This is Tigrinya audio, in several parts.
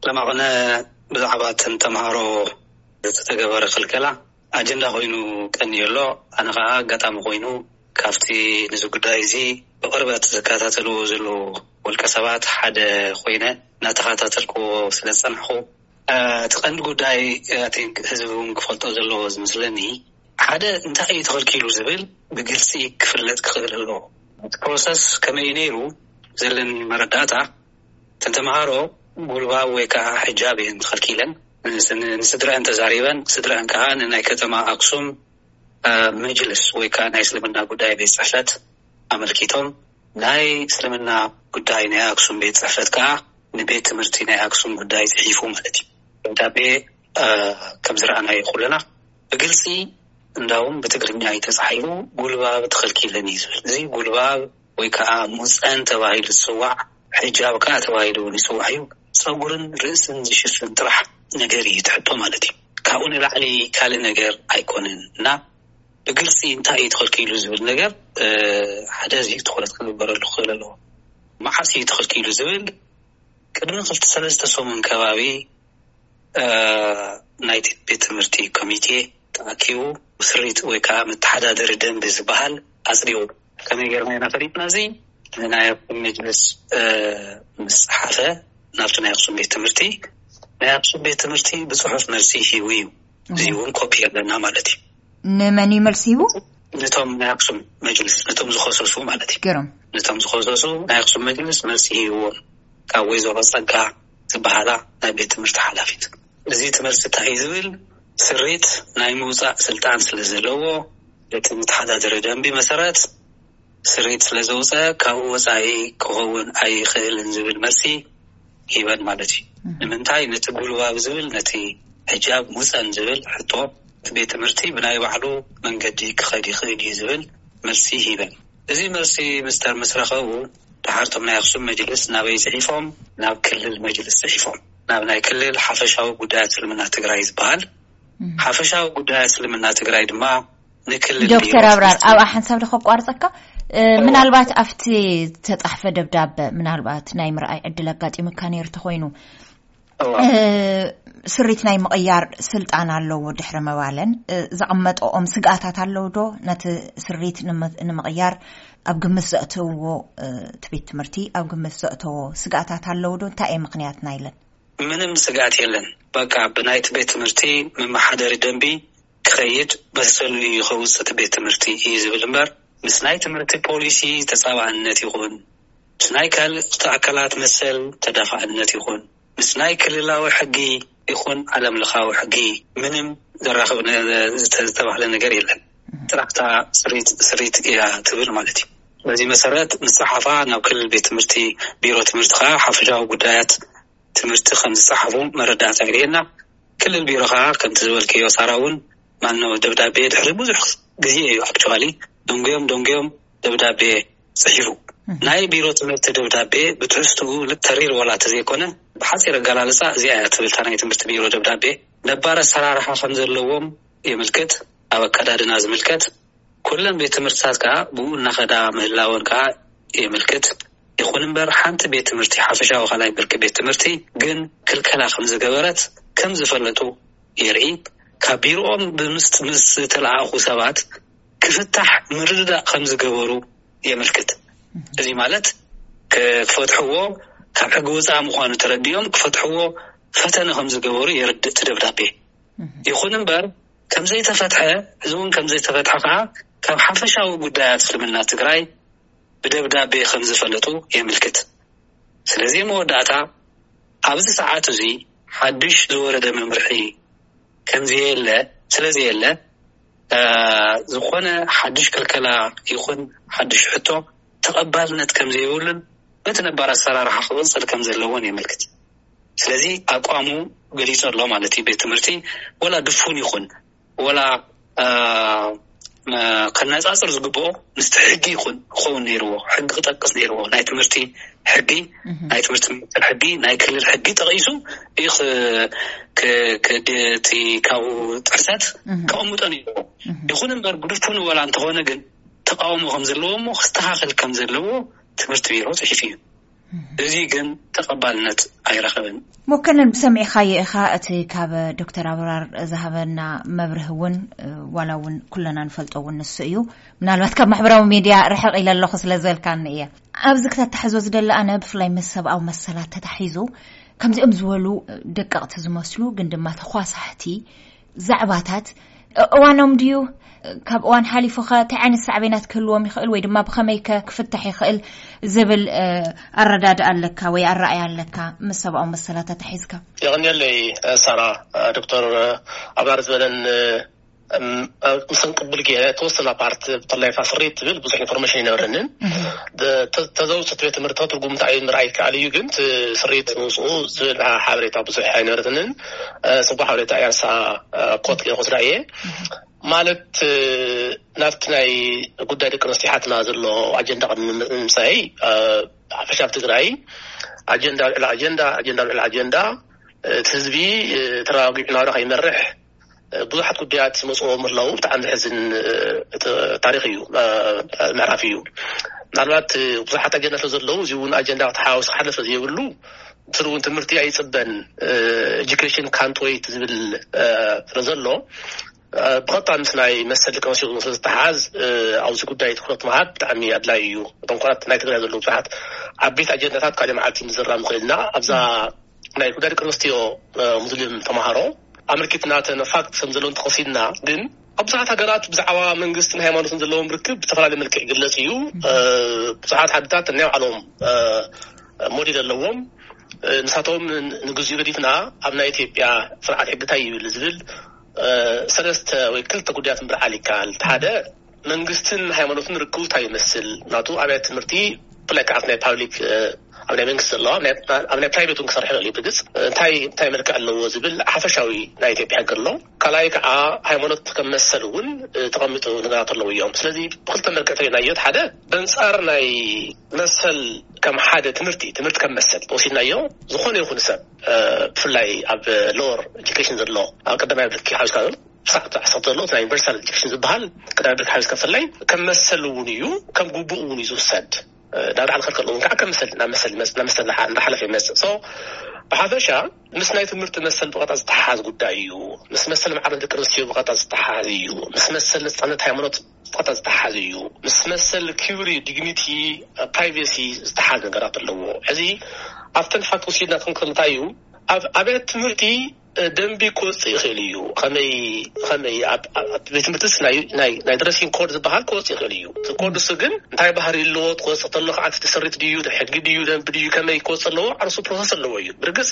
ለማቕነ ብዛዕባ እተን ተምሃሮ ዝተገበረ ክልከላ ኣጀንዳ ኮይኑ ቀንዮ ኣሎ። ኣነ ከዓ ኣጋጣሚ ኮይኑ ካብቲ ነዚ ጉዳይ እዚ ብቕርበት ዝከታተልዎ ዘለዉ ውልቀ ሰባት ሓደ ኮይነ እናተኸታተልክዎ ስለ ዝጸናሕኩ፣ እቲ ቀንዲ ጉዳይ፣ I think፣ ህዝቢ እውን ክፈልጦ ዘለዎ ዝመስለኒ፣ ሓደ እንታይ እዩ ተኸልኪሉ ዝብል ብግልፂ ክፍለጥ ክኽእል ኣለዎ። እቲ ፕሮሰስ ከመይ እዩ ነይሩ? ዘለኒ መረዳእታ፣ እተን ተምሃሮ ጉልባብ ወይ ከዓ ሕጃብ እየን ተኸልኪለን። ንስ-፣ ንስድረአን ተዛሪበን፣ ስድረአን ከዓ ንናይ ከተማ ኣክሱም፣ እ፣ መጅልስ ወይ ከዓ ናይ እስልምና ጉዳይ ቤት ጽሕፈት ኣመልኪቶም፣ ናይ እስልምና ጉዳይ ናይ ኣክሱም ቤት ጽሕፈት ከዓ ንቤት ትምህርቲ ናይ ኣክሱም ጉዳይ ጽሒፉ ማለት እዩ። ደብዳቤ፣ እ፣ ከም ዝረኣናዮ ኩልና ብግልፂ እንዳውም ብትግርኛ እዩ ተፃሒፉ፣ ጉልባብ ተኸልኪለን እዩ ዝብል። እዚ ጉልባብ ወይ ከዓ ሙፀን ተባሂሉ ዝፅዋዕ፣ ሕጃብ ከዓ ተባሂሉ እውን ይፅዋዕ እዩ። ፀጉርን ርእስን ዝሽፍን ጥራሕ ነገር እዩ ትሕቶ ማለት እዩ። ካብኡ ንላዕሊ ካልእ ነገር ኣይኮነን እና ብግልፂ እንታይ እዩ ተኸልኪሉ ዝብል ነገር፣ እ፣ ሓደ እዚ ትኹረት ክግበረሉ ክኽእል ኣለዎ። መዓስ እዩ ተኸልኪሉ ዝብል ቅድሚ ክልተ ሰለስተ ሰሙን ከባቢ፣ እ፣ ናይቲ ቤት ትምህርቲ ኮሚቴ ተኣኪቡ ስሪት ወይ ከዓ መተሓዳደሪ ደንቢ ዝበሃል ኣጽዲቑ። ከመይ ጌርና ኢና ፈሊጥና? እዚ ናይ ኣክሱም መጅልስ፣ እ፣ ምስ ጸሓፈ ናብቲ ናይ ኣክሱም ቤት ትምህርቲ፣ ናይ ኣክሱም ቤት ትምህርቲ ብጽሑፍ መልሲ ሂቡ እዩ። እዚ እውን ኮፒ ኣለና ማለት እዩ። ንመን እዩ መልሲ ሂቡ? ነቶም ናይ ኣክሱም መጅልስ፣ ነቶም ዝኸሰሱ ማለት እዩ። ገሮም። ነቶም ዝኸሰሱ ናይ ኣክሱም መጅልስ መልሲ ሂብዎም፣ ካብ ወይዘሮ ጸጋ ዝበሃላ ናይ ቤት ትምህርቲ ሓላፊት። እዚ እቲ መልሲ እንታይ እዩ ዝብል? ስሪት ናይ ምውጻእ ስልጣን ስለ ዘለዎ፣ በቲ መተሓዳደሪ ደንቢ መሰረት ስሪት ስለ ዘውፀ፣ ካብኡ ወፃኢ ክኸውን ኣይኽእልን ዝብል መልሲ ሂበን ማለት እዩ። ንምንታይ ነቲ ጉልባብ ዝብል፣ ነቲ ሕጃብ ሙፀን ዝብል ሕቶ፣ እቲ ቤት ትምህርቲ ብናይ ባዕሉ መንገዲ ክኸድ ይኽእል እዩ ዝብል መልሲ ሂበን። እዚ መልሲ ምስተር ምስ ረኸቡ፣ ደሓርቶም ናይ ኣክሱም መጅልስ ናበይ ጽሒፎም? ናብ ክልል መጅልስ ጽሒፎም። ናብ ናይ ክልል ሓፈሻዊ ጉዳያት እስልምና ትግራይ ዝበሃል። ሓፈሻዊ ጉዳያት እስልምና ትግራይ ድማ ንክልል ዶክተር ቢሮ ኣብራር፣ ትምህርቲ ኣብኣ ሓንሳብ ዶ ከቋርጸካ? እ፣ እዋ። ምናልባት ኣብቲ ዝተጻሕፈ ደብዳበ፣ ምናልባት ናይ ምርኣይ ዕድል ኣጋጢሙካ ነይሩ ተኾይኑ፣ እዋ። እ፣ ስሪት ናይ ምቕያር ስልጣን ኣለዎ ድሕሪ ምባለን፣ እ፣ ዘቐመጠኦም ስግኣታት ኣለዉ ዶ? ነቲ ስሪት ንመ-፣ ንምቕያር ኣብ ግምት ዘእተውዎ፣ እ፣ እቲ ቤት ትምህርቲ ኣብ ግምት ዘእተዎ ስግኣታት ኣለዉ ዶ? እንታይ እየ ምኽንያት ናይለን? ምንም ስግኣት የለን። በቃ ብናይቲ ቤት ትምህርቲ መመሓደሪ ደንቢ ክኸይድ መሰሉ እዩ ከውፅእ እቲ ቤት ትምህርቲ እዩ ዝብል እምበር፣ ምስ ናይ ትምህርቲ ፖሊሲ ተፃባእነት ይኹን፣ ምስ ናይ ካልኦት ኣካላት መሰል ተዳፋእነት ይኹን፣ ምስ ናይ ክልላዊ ሕጊ ይኹን ዓለም ለኻዊ ሕጊ ምንም ዘራኽብ ነ-፣ ዝተ-፣ ዝተባህለ ነገር የለን። ጥራሕ እታ ስሪት፣ ስሪት እያ ትብል ማለት እዩ። በዚ መሰረት ምስ ጸሓፋ ናብ ክልል ቤት ትምህርቲ፣ ቢሮ ትምህርቲ ኸዓ ሓፈሻዊ ጉዳያት ትምህርቲ ከም ዝጸሓፉ መረዳእታ ይርየና። ክልል ቢሮ ኸዓ ከምቲ ዝበልክዮ ሳራ እውን፣ ማኖ፣ ደብዳቤ ድሕሪ ብዙሕ ግዜ እዩ፣ ኣክቹዋሊ፣ ደንጉዮም ደንጉዮም ደብዳቤ ጽሒፉ። ናይ ቢሮ ትምህርቲ ደብዳቤ ብትሕዝትኡ ተሪር ዋላ ተዘይኮነ፣ ብሓጺር ኣገላልጻ እዚኣ እያ ትብል እታ ናይ ትምህርቲ ቢሮ ደብዳቤ። ነባር ኣሰራርሓ ከም ዘለዎም የምልክት፣ ኣብ ኣከዳድና ዝምልከት። ኩለን ቤት ትምህርትታት ከኣ ብኡ እናኸዳ ምህላወን ከኣ የምልክት። ይኹን እምበር፣ ሓንቲ ቤት ትምህርቲ፣ ሓፈሻዊ ካልኣይ ብርኪ ቤት ትምህርቲ ግን ክልከላ ከም ዝገበረት ከም ዝፈለጡ የርኢ። ካብ ቢሮኦም ብምስ-፣ ምስ ዝተለኣኹ ሰባት ክፍታሕ ምርድዳእ ከም ዝገበሩ የምልክት። እዚ ማለት፣ ክ-፣ ክፈትሕዎ፣ ካብ ሕጊ ወጻኢ ምዃኑ ተረዲኦም ክፈትሕዎ ፈተነ ከም ዝገበሩ የርድእ እቲ ደብዳቤ። ይኹን እምበር፣ ከም ዘይተፈትሐ፣ እዚ እውን ከም ዘይተፈትሐ ከኣ ካብ ሓፈሻዊ ጉዳያት እስልምና ትግራይ ብደብዳቤ ከም ዝፈለጡ የምልክት። ስለዚ መወዳእታ፣ ኣብዚ ሰዓት እዚ ሓድሽ ዝወረደ መምርሒ ከም ዘየለ፣ ስለ ዘየለ፣ እ፣ ዝኾነ ሓድሽ ክልከላ ይኹን ሓድሽ ሕቶ ተቐባልነት ከም ዘይብሉን በቲ ነባር ኣሰራርሓ ክቕጽል ከም ዘለዎን የመልክት። ስለዚ ኣቋሙ ገሊጹ ኣሎ ማለት እዩ። ቤት ትምህርቲ ወላ ድፉን ይኹን፣ ወላ፣ እ፣ መ-፣ ከነጻጽር ዝግብኦ ምስቲ ሕጊ ይኹን ክኸውን ነይርዎ፣ ሕጊ ክጠቅስ ነይርዎ። ናይ ትምህርቲ ሕጊ፣ ናይ ትምህርቲ ሚኒስቴር ሕጊ፣ ናይ ክልል ሕጊ ጠቒሱ እዩ ክ-፣ ክ-፣ ክ-፣ እቲ ካብኡ ጥሕሰት ከቕምጦ ነይርዎ። ይኹን እምበር፣ ብድፉኑ ወላ እንተኾነ ግን ተቃውሞ ከም ዘለዎ እሞ ክስተኻኸል ከም ዘለዎ ትምህርቲ ቢሮ ጽሒፉ እዩ። እዚ ግን ተቐባልነት ኣይረኸብን። ሞከነን ብሰሚዕኻዮ ኢኻ፣ እቲ ካብ ዶክተር ኣብራር ዝሃበና መብርህ እውን ዋላ እውን ኩለና ንፈልጦ እውን ንሱ እዩ። ምናልባት ካብ ማሕበራዊ ሚድያ ርሕቕ ኢለ ኣለኹ ስለ ዝበልካኒ እየ። ኣብዚ ክተታሕዞ ዝደሊ ኣነ ብፍላይ ምስ ሰብኣዊ መሰላት ተታሒዙ ከምዚኦም ዝበሉ ደቀቕቲ ዝመስሉ ግን ድማ ተኳሳሕቲ ዛዕባታት እዋኖም ድዩ? ካብ እዋን ሓሊፉ ኸ እንታይ ዓይነት ሳዕቤናት ክህልዎም ይኽእል ወይ ድማ ብኸመይ ከ ክፍታሕ ይኽእል ዝብል ኣረዳድኣ ኣለካ ወይ ኣረኣያ ኣለካ? ምስ ሰብኣዊ መሰላት ተታሒዝካ። የቐንየለይ ሳራ። ዶክተር ኣብራር ዝበለን ምስ እንቅብል ገይረ ተወሰና ፓርት ብፍላይ እታ ስርኢት ትብል ብዙሕ ኢንፎርሜሽን ኣይነበረንን። ተዘውፅት ቤት ትምህርቲ ትርጉም እንታይ ምርኣይ ይከኣል እዩ፣ ግን ስርኢት ምውፅኡ ዝብል ሓበሬታ ብዙሕ ኣይነበረትንን። ፅቡቅ ሓበሬታ እያ። ንሳ ኮት ገይረ ክወስዳ እየ። ማለት ናብቲ ናይ ጉዳይ ደቂ ኣንስትዮ ሓትና ዘሎ ኣጀንዳ ቅድሚ ምምፃይ ሓፈሻ ኣብ ትግራይ ኣጀንዳ ልዕሊ ኣጀንዳ ኣጀንዳ ልዕሊ ኣጀንዳ እቲ ህዝቢ ተረጋጊዑ ናብራ ከይመርሕ ብዙሓት ጉዳያት ይመፅዎ ምህላው ብጣዕሚ ዘሕዝን ታሪክ እዩ፣ ምዕራፍ እዩ። ምናልባት ብዙሓት ኣጀንዳ ስለ ዘለዉ እዚ እውን ኣጀንዳ ተሓዋዊሱ ክሓለፍ ዘይብሉ ስሩ እውን ትምህርቲ ኣይፅበን፣ education can't wait ዝብል ስለ ዘሎ ብቐጥታ ምስ ናይ መሰል ደቂ ኣንስትዮ ስለ ዝተሓዝ ኣብዚ ጉዳይ ትኩረት ምሃብ ብጣዕሚ ኣድላይ እዩ። እቶም ኩራት ናይ ትግራይ ዘለዉ ብዙሓት ዓበይቲ ኣጀንዳታት ካልእ መዓልቲ ምዝራብ ንኽእል ኢና። ኣብዛ ናይ ጉዳይ ደቂ ኣንስትዮ ሙስሊም ተምሃሮ ኣመልኪትና ተን ፋክት ከም ዘለዉ እንተኸሲድና ግን ኣብ ብዙሓት ሃገራት ብዛዕባ መንግስትን ሃይማኖትን ዘለዎም ርክብ ብዝተፈላለየ መልክዕ ይግለጽ እዩ። ብዙሓት ዓድታት ናይ ባዕሎም ሞዴል ኣለዎም። ንሳቶም ንግዚኡ ገዲፍና ኣብ ናይ ኢትዮጵያ ስርዓት ሕጊ እንታይ ይብል ዝብል ሰለስተ ወይ ክልተ ጉዳያት ምብርዓል ይከኣል። ሓደ መንግስትን ሃይማኖትን ርክቡ እንታይ ይመስል ናቱ ኣብያት ትምህርቲ ብፍላይ ከዓ ናይ ፓብሊክ ኣብ ናይ መንግስቲ ዘለዋ ኣብ ናይ ፕራይቬት እውን ክሰርሕ ይኽእል እዩ። ብግልፂ እንታይ እንታይ መልክዕ ኣለዎ ዝብል ሓፈሻዊ ናይ ኢትዮጵያ ሕጊ ኣሎ። ካልኣይ ከዓ ሃይማኖት ከም መሰል እውን ተቐሚጡ ነገራት ኣለዉ እዮም። ስለዚ ብክልተ መልክዕ ተሪናዮ ሓደ በንፃር ናይ መሰል ከም ሓደ ትምህርቲ ትምህርቲ ከም መሰል ተወሲድናዮ ዝኾነ ይኹን ሰብ ብፍላይ ኣብ ሎወር ኤጁኬሽን ዘሎ ኣብ ቀዳማይ ብርኪ ሓዊስካ ዘሎ ሳዕ ዓሰርተ ዘሎ ናይ ዩኒቨርሳል ኤጁኬሽን ዝበሃል ቀዳማይ ብርኪ ሓዊስካ ብፍላይ ከም መሰል እውን እዩ፣ ከም ግቡእ እውን እዩ ዝውሰድ። ናብ ላዕሊ ከርከሎ እውን ከዓ ከም መሰል ናብ መሰል ይመፅእ ናብ መሰል እንዳሓለፈ ይመፅእ። ብሓፈሻ ምስ ናይ ትምህርቲ መሰል ብቐጥታ ዝተሓሓዝ ጉዳይ እዩ። ምስ መሰል ማዕርነት ደቂ ኣንስትዮ ብቐጥታ ዝተሓሓዝ እዩ። ምስ መሰል ነፃነት ሃይማኖት ብቐጥታ ዝተሓሓዝ እዩ። ምስ መሰል ክብሪ ዲግኒቲ ፕራይቬሲ ዝተሓሓዝ ነገራት ኣለዎ። ሕዚ ኣብተን ፋክት ወሲድና ክንክልታ እዩ ኣብ ኣብያት ትምህርቲ ደንቢ ክወፅእ ይኽእል እዩ። ከመይ ከመይ ኣብ ቤት ትምህርትስ ናይ ድረሲንግ ኮድ ዝበሃል ክወፅእ ይኽእል እዩ። እቲ ኮድ እሱ ግን እንታይ ባህሪ ኣለዎ፣ ክወፅእ ከሎ ከዓ እቲ ስሪት ድዩ፣ ሕጊ ድዩ፣ ደንቢ ድዩ፣ ከመይ ክወፅእ ኣለዎ ዓርሱ ፕሮሰስ ኣለዎ እዩ። ብርግፅ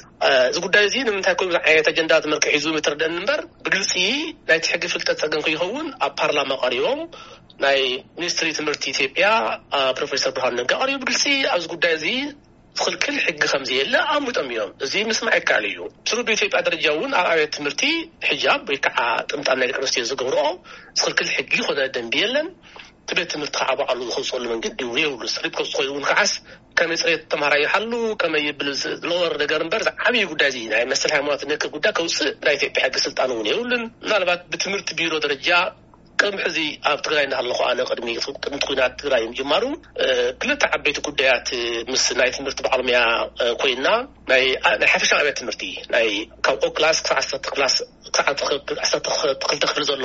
እዚ ጉዳይ እዚ ንምንታይ ከምዚ ዓይነት ኣጀንዳ መርክዕ ሒዙ ምትርደን እምበር ብግልፂ ናይቲ ሕጊ ፍልጠት ፀገም ከይኸውን ኣብ ፓርላማ ቀሪቦም ናይ ሚኒስትሪ ትምህርቲ ኢትዮጵያ ፕሮፌሰር ብርሃኑ ነጋ ቀሪቡ ብግልፂ ኣብዚ ጉዳይ እዚ ዝኽልክል ሕጊ ከም ዘየለ ኣሙጦም እዮም። እዚ ምስማዕ ይከኣል እዩ። ስሩ ብኢትዮጵያ ደረጃ እውን ኣብ ኣብያት ትምህርቲ ሕጃብ ወይ ከዓ ጥምጣም ናይ ደቂ ኣንስትዮ ዝገብርኦ ዝኽልክል ሕጊ ኮነ ደንቢ የለን። እቲ ቤት ትምህርቲ ከዓ ባዕሉ ዝኸውፀሉ መንገዲ እውን የብሉ። ስሪት ከውፅ ኮይኑ እውን ከዓስ ከመይ ፅሬት ተምሃራይ ይሓሉ ከመይ ይብል ዝለወር ነገር እምበር ዝዓብዩ ጉዳይ እዚ ናይ መሰል ሃይማኖት ነክ ጉዳይ ከውፅእ ናይ ኢትዮጵያ ሕጊ ስልጣን እውን የብሉን። ምናልባት ብትምህርቲ ቢሮ ደረጃ ቅድሚ ሕዚ ኣብ ትግራይ እናሃለኹ ኣነ ቅድሚ ቅድሚ ኩናት ትግራይ ምጅማሩ ክልተ ዓበይቲ ጉዳያት ምስ ናይ ትምህርቲ ባዕልሙያ ኮይና ናይ ናይ ሓፈሻ ኣብያት ትምህርቲ ናይ ካብ ኦ ክላስ ክሳብ ዓሰርተ ክላስ ክሳብ ዓሰርተ ክልተ ክፍሊ ዘሎ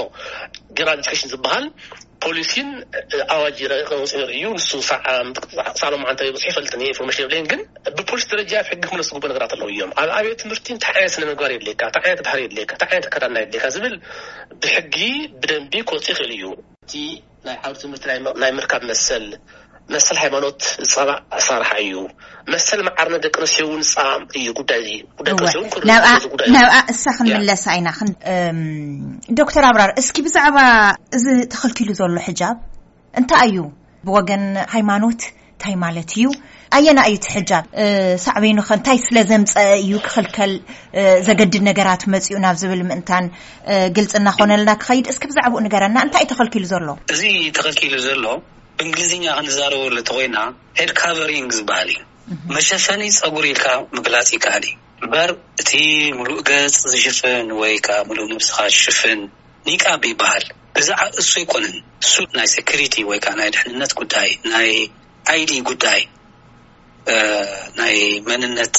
ጀነራል ኤጁኬሽን ዝበሃል ፖሊሲን ኣዋጅ ረቂቕ ወፂኡ ነይሩ እዩ። ንሱ ሳዕ ሳዕ ሎማዓንቲ በፂሑ ይፈልጥን እየ ኢንፎርሜሽን የብለይን ግን ብፖሊሲ ደረጃ ኣብ ሕጊ ክምለስ ዝግቡ ነገራት ኣለዉ እዮም። ኣብ ኣብያት ትምህርቲ እንታይ ዓይነት ስነ ምግባር የድልየካ፣ እንታይ ዓይነት ባህሪ የድልየካ፣ እንታይ ዓይነት ኣከዳድና የድልየካ ዝብል ብሕጊ ብደንቢ ክወፅእ ይኽእል እዩ። እቲ ናይ ዓውዲ ትምህርቲ ናይ ምርካብ መሰል መሰል ሃይማኖት ዝፃባእ ኣሰራርሓ እዩ። መሰል መዓርነት ደቂ ኣንስትዮ እውን ዝፃባእ እዩ። ጉዳይ እዚ ጉዳይ ደቂ ኣንስትዮ እውን ክርእ ናብኣ ክንምለሳ ኢና። ዶክተር ኣብራር እስኪ ብዛዕባ እዚ ተኸልኪሉ ዘሎ ሕጃብ እንታይ እዩ? ብወገን ሃይማኖት እንታይ ማለት እዩ? ኣየና እዩ እቲ ሕጃብ? ሳዕቤኑ ከ እንታይ ስለ ዘምፀአ እዩ ክኽልከል ዘገድድ ነገራት መፅኡ ናብ ዝብል ምእንታን ግልፂ እናኾነልና ክኸይድ እስኪ ብዛዕባኡ ንገረና። እንታይ እዩ ተኸልኪሉ ዘሎ? እዚ ተኸልኪሉ ዘሎ ብእንግሊዝኛ ክንዛረበሉ እንተኾይና ሄድ ካቨሪንግ ዝበሃል እዩ። መሸፈኒ ፀጉሪ ኢልካ ምግላፅ ይከኣል እዩ። እምበር እቲ ሙሉእ ገፅ ዝሽፍን ወይ ከዓ ሙሉእ ነብስኻ ዝሽፍን ኒቃብ ይበሃል። ብዛዕባ እሱ ኣይኮነን። እሱ ናይ ሴኩሪቲ ወይ ከዓ ናይ ድሕንነት ጉዳይ ናይ ኣይዲ ጉዳይ ናይ መንነት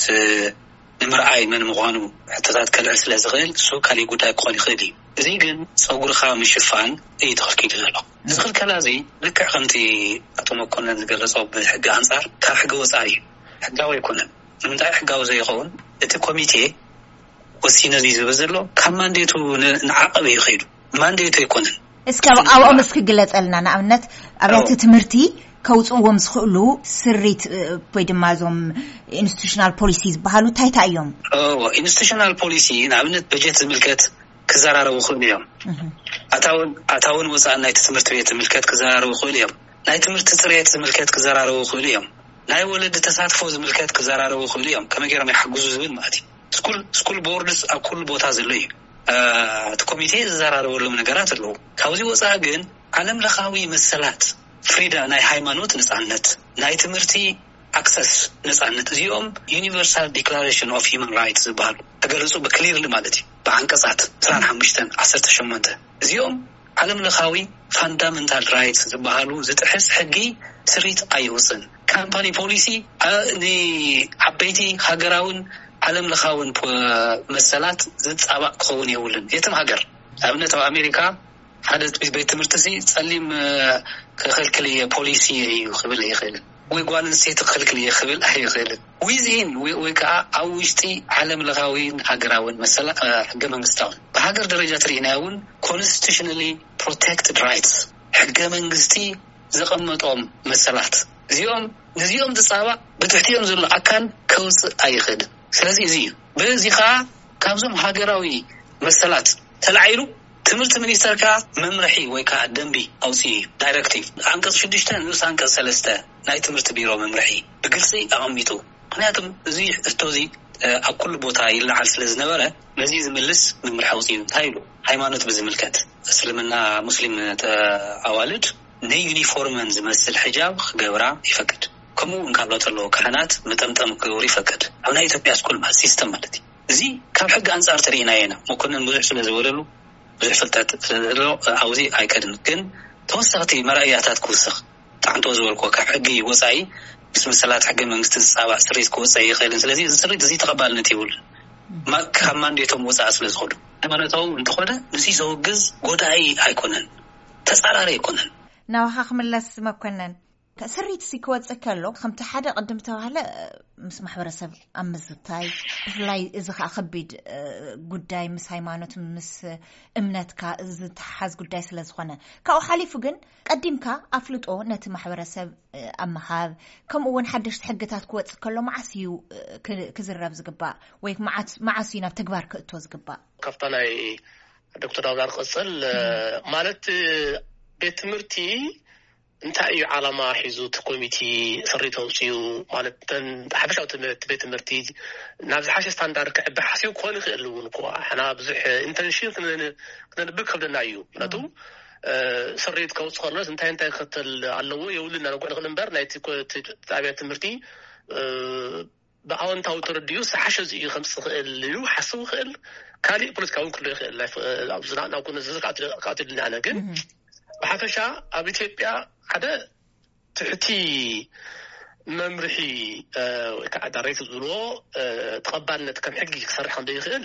ንምርኣይ መን ምዃኑ ሕቶታት ከልዕል ስለ ዝኽእል፣ እሱ ካሊእ ጉዳይ ክኾን ይኽእል እዩ። እዚ ግን ጸጉርኻ ምሽፋን እዩ ተኸልኪሉ ዘሎ። እዚ ክልከላ እዚ ልክዕ ከምቲ ኣቶ መኮነን ዝገለጾ ብሕጊ ኣንጻር ካብ ሕጊ ወጻኢ እዩ። ሕጋዊ ኣይኮነን። ንምንታይ ሕጋዊ ዘይኸውን? እቲ ኮሚቴ ወሲነ ዝብል ዘሎ ካብ ማንዴቱ ንዓቐብ እዩ ኸይዱ። ማንዴቱ ኣይኮነን። እስኪ ኣብኦም እስኪ ግለጸልና። ንኣብነት ኣብያተ ትምህርቲ ከውፅዎም ዝኽእሉ ስሪት ወይ ድማ እዞም ኢንስቲቱሽናል ፖሊሲ ዝበሃሉ እንታይ እንታይ እዮም? ኢንስቲቱሽናል ፖሊሲ ንኣብነት በጀት ዝምልከት ክዘራረቡ ይኽእሉ እዮም። ኣታውን ወፃእን ናይቲ ትምህርቲ ቤት ዝምልከት ክዘራረቡ ይኽእሉ እዮም። ናይ ትምህርቲ ፅሬት ዝምልከት ክዘራረቡ ይኽእሉ እዮም። ናይ ወለዲ ተሳትፎ ዝምልከት ክዘራረቡ ይኽእሉ እዮም። ከመይ ገይሮም ይሓግዙ ዝብል ማለት እዩ። ስኩል ቦርድስ ኣብ ኩሉ ቦታ ዘሎ እዩ። እቲ ኮሚቴ ዝዘራረበሎም ነገራት ኣለዉ። ካብዚ ወፃኢ ግን ዓለም ለኻዊ መሰላት፣ ፍሪዳ፣ ናይ ሃይማኖት ነፃነት፣ ናይ ትምህርቲ ኣክሰስ ነፃነት፣ እዚኦም ዩኒቨርሳል ዲክላሬሽን ኦፍ ሂማን ራይትስ ዝበሃሉ ተገለፁ ብክሊርሊ ማለት እዩ። ብዓንቀፃት ዕስራን ሓሙሽተን፣ ዓሰርተ ሸሞንተ እዚኦም ዓለም ለኻዊ ፋንዳመንታል ራይትስ ዝበሃሉ ዝጥሕስ ሕጊ ስሪት ኣይወፅን። ካምፓኒ ፖሊሲ ንዓበይቲ ሃገራውን ዓለም ለኻውን መሰላት ዝፃባእ ክኸውን የብሉን። የትም ሃገር ኣብነት ኣብ ኣሜሪካ ሓደ ቤት ትምህርቲ ሲ ጸሊም ክኽልክል እየ ፖሊሲ እዩ ክብል ኣይኽእልን፣ ወይ ጓል ኣንስተይቲ ክኽልክል እየ ክብል ኣይኽእልን። ዊዝኢን ወይ ከዓ ኣብ ውሽጢ ዓለም ለኻዊን ሃገራውን መሰላ ሕገ መንግስታውን ብሃገር ደረጃ ትርኢናዮ እውን ኮንስቲቱሽናሊ ፕሮቴክትድ ራይትስ ሕገ መንግስቲ ዘቐመጦም መሰላት እዚኦም ነዚኦም ዝፃባእ ብትሕቲኦም ዘሎ ኣካል ከውፅእ ኣይኽእልን። ስለዚ እዚ እዩ በዚ ከዓ ካብዞም ሃገራዊ መሰላት ተላዒሉ ትምህርቲ ሚኒስተር ከዓ መምርሒ ወይ ከዓ ደንቢ ኣውፅኡ እዩ። ዳይሬክቲቭ ዓንቀፅ ሽዱሽተ ንኡስ ዓንቀፅ ሰለስተ ናይ ትምህርቲ ቢሮ መምርሒ ብግልፂ ኣቐሚጡ። ምክንያቱም እዚ ሕቶ እዚ ኣብ ኩሉ ቦታ ይለዓል ስለ ዝነበረ ነዚ ዝምልስ መምርሒ ኣውፅኡ። እንታይ ኢሉ? ሃይማኖት ብዝምልከት እስልምና ሙስሊም ኣዋልድ ንዩኒፎርመን ዝመስል ሕጃብ ክገብራ ይፈቅድ። ከምኡ እውን ካብ ለውጢ ኣለዎ ካህናት መጠምጠም ክገብሩ ይፈቅድ። ኣብ ናይ ኢትዮጵያ ስኩል ማለት ሲስተም ማለት እዩ። እዚ ካብ ሕጊ ኣንጻር ተሪኢናዮ ኢና። መኮንን ብዙሕ ስለ ዝበለሉ ብዙሕ ፍልጠት ስለ ዘለዎ ኣብዚ ኣይከድን። ግን ተወሰኽቲ መረኣያታት ክውስኽ ጣዕንቶ ዝበልኮ ካብ ሕጊ ወፃኢ ምስ መሰላት ሕገ መንግስቲ ዝፃባእ ስሪት ክወፀ ይኽእልን። ስለዚ እዚ ስሪት እዚ ተቐባልነት የብሉን። ካብ ማንዴቶም ወፃኢ ስለ ዝኾኑ ሃይማኖታዊ እንተኾነ ንዚ ዘውግዝ ጎዳኢ ኣይኮነን፣ ተፃራሪ ኣይኮነን። ናባኻ ክምለስ መኮነን፣ ስሪት ሲ ክወፅእ ከሎ ከምቲ ሓደ ቅድም ተባህለ ምስ ማሕበረሰብ ኣብ ምዝታይ ብፍላይ እዚ ከዓ ከቢድ ጉዳይ ምስ ሃይማኖት ምስ እምነትካ ዝተሓሓዝ ጉዳይ ስለ ዝኾነ ካብኡ ሓሊፉ ግን ቀዲምካ ኣፍልጦ ነቲ ማሕበረሰብ ኣብ ምሃብ ከምኡ እውን ሓደሽቲ ሕግታት ክወፅእ ከሎ መዓስ እዩ ክዝረብ ዝግባእ ወይ መዓስ እዩ ናብ ተግባር ክእቶ ዝግባእ? ካብታ ናይ ዶክተር ዳውዳር ቅፅል ማለት ቤት ትምህርቲ እንታይ እዩ ዓላማ ሒዙ እቲ ኮሚቲ ስሪት ኣውፅኡ ማለት ሓፈሻዊ ትምህርቲ ቤት ትምህርቲ ናብ ዝሓሸ ስታንዳርድ ክዕቢ ሓሲቡ ክኾን ይኽእል እውን እኮ ሓና ብዙሕ ኢንተንሽን ክነንብብ ከብደና እዩ ምክንያቱ ስሪት ከውፅ ከሎስ እንታይ እንታይ ክከተል ኣለዎ የብሉና ነጎ ንኽእል እምበር ናይቲ ኣብያ ትምህርቲ ብኣወንታዊ ተረዲኡ ዝሓሸ እዩ ከምፅእ ክእል እዩ ሓስቡ ክእል ካሊእ ፖለቲካ እውን ክሎ ይኽእል ዝናናው ዝዝር ክኣትልና ኣነ ግን ብሓፈሻ ኣብ ኢትዮጵያ ሓደ ትሕቲ መምርሒ ወይከዓ ዳሬክት ዝብልዎ ተቐባልነት ከም ሕጊ ክሰርሕ ከም ዘይኽእል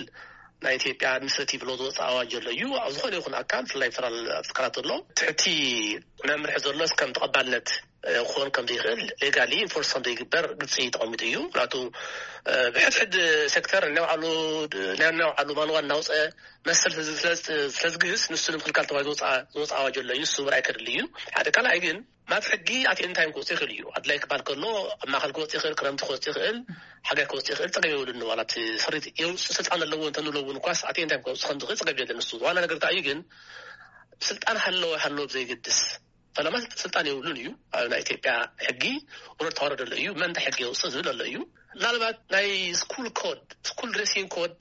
ናይ ኢትዮጵያ ኣድሚኒስትሬቲቭ ሎ ዝወፅእ ኣዋጅ ዘሎ እዩ ኣብ ዝኾነ ይኹን ኣካል ብፍላይ ፌደራል ትካላት ዘሎ ትሕቲ መምርሒ ዘሎስ ከም ተቐባልነት ክኾን ከም ዘይኽእል ሌጋሊ ኢንፎርስ ከም ዘይግበር ግልፂ ተቐሚጡ እዩ ምክንያቱ ብሕድሕድ ሴክተር ናይ ባዕሉ ማንዋ እናውፀ መሰል ስለዝግህስ ንሱ ንምክልካል ተባሂሉ ዝወፅእ ኣዋጅ ኣሎ እዩ ንሱ ምርኣይ ከድሊ እዩ ሓደ ካልኣይ ግን ናብ ሕጊ ኣት ኤኒ ታይም ክወፅእ ይኽእል እዩ ኣድላይ ክባል ከሎ ኣብ ማእኸል ክወፅእ ይኽእል ክረምቲ ክወፅእ ይኽእል ሓጋይ ክወፅእ ይኽእል ፀገም የብሉን ዋላ እቲ ስሪት የውፅእ ስልጣን ኣለዎ እንተንብሎ እውን እኳስ ኣት ኤኒ ታይም ክወፅእ ከም ዝኽእል ፀገም የለን ንሱ ዋና ነገር እንታይ እዩ ግን ስልጣን ሃለወ ሃለወ ብዘይገድስ ፈለማ ስልጣን የብሉን እዩ ኣብ ናይ ኢትዮጵያ ሕጊ ውረድ ተዋረድ ኣሎ እዩ መን እንታይ ሕጊ የውፅእ ዝብል ኣሎ እዩ ምናልባት ናይ ስኩል ኮድ ስኩል ድሬሲንግ ኮድ